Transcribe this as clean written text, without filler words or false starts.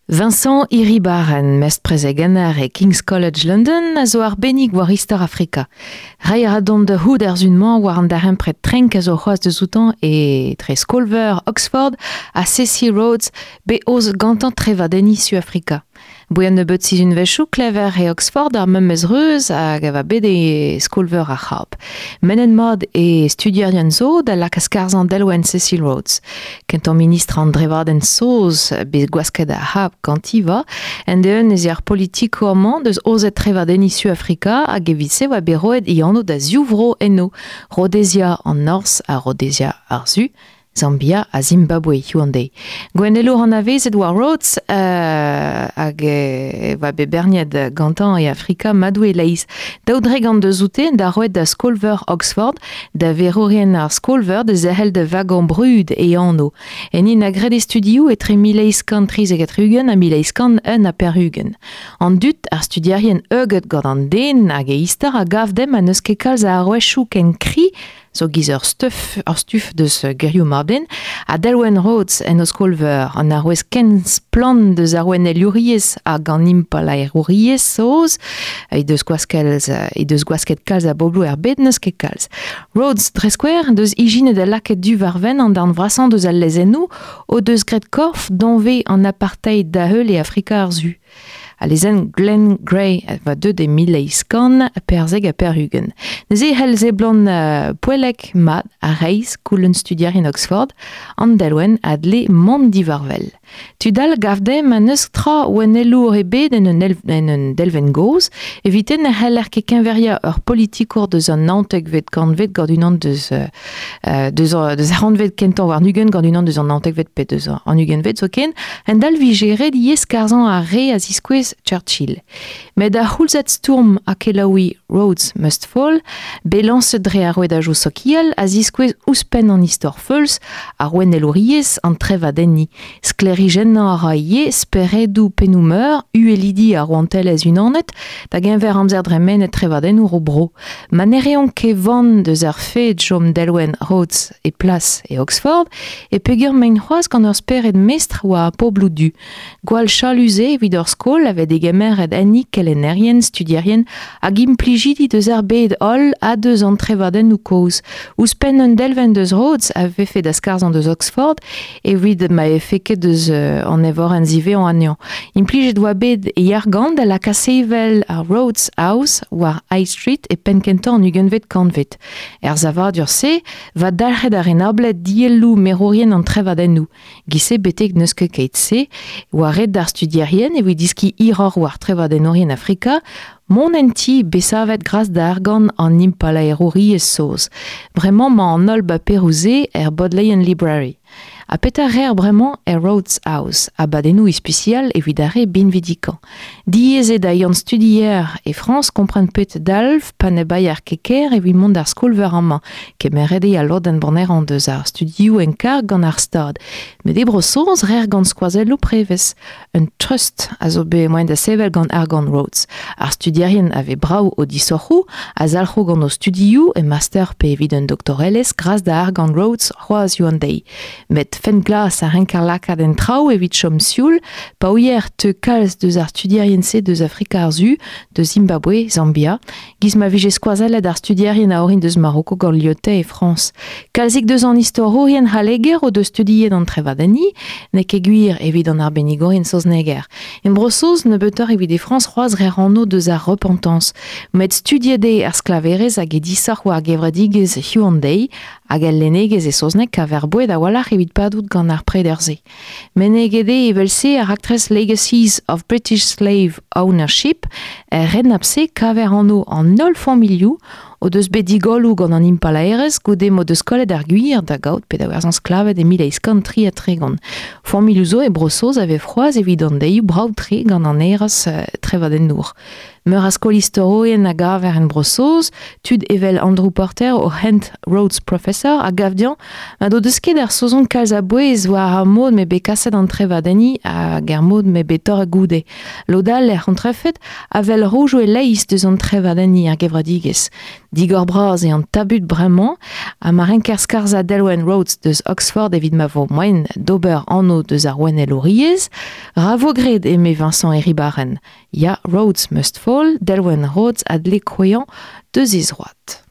Vincent Iribarren, mestr-prezegenner e King's College London, a zo arbennik war istor Afrika. Reiñ a ra dont da c'hoût ar sun-mañ war an darempred trenk a zo c'hoazh deus outañ etre skol-veur Oxford ha Cecil Rhodes, bet aozet gantañ trevadenniñ Suafrika. Boe un nebeud sizhunvezhioù klever e Oxford ar memes reuz hag a va bet e skol-veur ar C'hab. Mennet mat e studierien zo da lakaat skarzhañ delwenn Cecil Rhodes. Kentañ ministr an drevadenn saoz bet gwasket ar C'hab ganti va, end-eeun ez eo ar politikour-mañ deus aozet trevadenniñ Suafrika hag evit-se oa bet roet e anv da ziv vro eno, Rhodesia an Norzh ha Rhodesia ar Su. Zambia ha Zimbabwe hiziv an deiz. Gouennelour anavezet war Rhodes hag e oa bet berniet gantañ e Afrika madoù e-leizh. 2 dre deus oute da roet da skol-veur Oxford, da verourien ar skol-veur da zerc'hel da vagañ brud e anv. Enni na graet e studioù etre 1873 ha 1881. An dud, ar studierien heuget gant an den hag e istor a gav demp ha n'eus ket kalz a arouezioù ken kri zo giz ur stuff, ur stuf deus gerioù mab-den, ha Delwen Rhodes en o skol-veur, an arouez ken splann deus ar ouennelouriezh hag an impalaerouriezh saoz, he deus gwasket, he deus gwasket kalz a bobloù er bed n'eus ket kalz. Rhodes, dre skouer, deus ijinet ha lakaet du war-wenn an darn vrasañ deus al lezennoù o deus graet korf danvez an apartheid da-heul e Afrika ar Su. Al lezenn Glenn Grey a oa deuet e 1894. Neuze e c'hell seblant poellek mat ha reizh goulenn studierien Oxford an delwenn a dle mont diwar-wel. Tud all gav dezhe ma n'eus tra ouennelour ebet en un, en un delvenn gozh, evite ne c'heller ket keñveriañ ur politikour deus an naontekvet kantved gant unan deus, deus, deus ar c'hantved kentañ warn-ugent gant unan deus an naontekvet pe deus an ugentvet zoken, Hent-all 'vije ret ivez skarzhañ ar re a ziskouez Churchill. Met ar c'houlzad stourm ha kelaouiñ Rhodes Must Fall, bet lañset dre ar rouedajoù sokial, a ziskouez ouzhpenn an istor feuls, ar ouennelouriezh, an trevadenniñ. Sklêrijennañ a ra ivez speredoù pennoù-meur uhelidi ar Rouantelezh Unanet da geñver amzer dremenet trevadennour o bro. Ma ne reont ket van deus ar fed chom delwenn Rhodes e plas e Oxford, e peger maint c'hoazh gant ur spered mestr war ar pobloù du. Gwall chalus eo evit ur skol a vez degemeret enni kelennerien, studierien hag implijidi deus ar bed holl ha deus an trevadennoù kozh. Ouzhpenn un delvenn deus Rhodes a vefe da skarzhañ deus Oxford evit ma vefe ket deus an evorenn ziwezhañ anezhañ. Implijet oa bet e argant da lakaat sevel ar Rhodes House war High Street e penn-kentañ an ugentvet kantved. Er savadur-se va dalc'het ar renablet dielloù merourien an trevadennoù. Giz-se betek n'eus ket keit-se oa ret d'ar studierien evit diskiñ hiroc'h war trevadennourien Afrika mont en ti bet savet gras da argant an impalaerouriezh saoz. Bremañ 'mañ an holl baperoù-se er Bodleian Library. Ha petra 'reer bremañ er Rhodes House, abadennoù ispisial evit ar re binvidikañ. Diaes eo da Yann Studier e Frañs kompren pet dalv pa ne baeer ket ker evit mont d'ar skol-veur amañ. Kemeret eo al lodenn bonerañ deus ar studioù en karg gant ar Stad. Met e Bro-Saoz 'reer gant skoazelloù prevez. Un trust a zo bet moaien da sevel gant argant Rhodes. Ar studierien a vez brav o disoc'hoù, a zalc'ho gant o studioù e master pe evit un doktorelezh gras da argant Rhodes c'hoazh an deiz. Met fent glas a renker lakaat en traoù evit chom sioul pa ouier teu kalz deus ar studierien-se deus Afrika ar Su, deus Zimbabwe, Zambia, giz ma vije skoazellet ar studierien a orin deus Maroko gant Lyotet e Frañs. Kalzik deus an istorourien c'halleger o deus studiet an trevadenniñ, n'eo ket gwir evit an arbennigourien saozneger. En Bro-Saoz, nebeutoc'h evit e Frañs c'hoazh re anv deus ar repentance. Met studiet eo ar sklaverezh hag e disoc'h war gevredigezh hiziv an deiz, hag el lennegezh e saozneg kaver boued a-walc'h evit padout gant ar preder-se. Meneget eo evel-se ar raktres Legacies of British Slave Ownership. Er renabl-se kaver anv an holl familhoù o deus bet digolloù gant an impalaerezh goude m'o deus kollet ar gwir da gaout pe da werzhañ sklaved e 1833. Familhoù zo e Bro-Saoz a vez c'hoazh evit an deioù brav-tre gant an hêrezh trevadennour. Meur a skol istorourien a gaver en Bro-Saoz, tud evel Andrew Porter o hent Rhodes Professor a gav dezhañ ma n'o deus ket ar Saozon kalz a bouez war ar mod m'eo bet kaset an trevadenniñ hag ar mod m'eo bet torret goude. Lod all er er c'hontrefed a wel roudoù e-leizh deus an trevadenniñ er gevredigezh. Digor-bras eo an tabut bremañ ha ma renker skarzhañ delwenn Rhodes deus Oxford evit ma vo moaien d'ober anv deus ar ouennelouriezh, ra vo graet eme Vincent Hiribarren. Ya, Rhodes must fall, delwenn Rhodes a dle kouezhañ deus he zroad.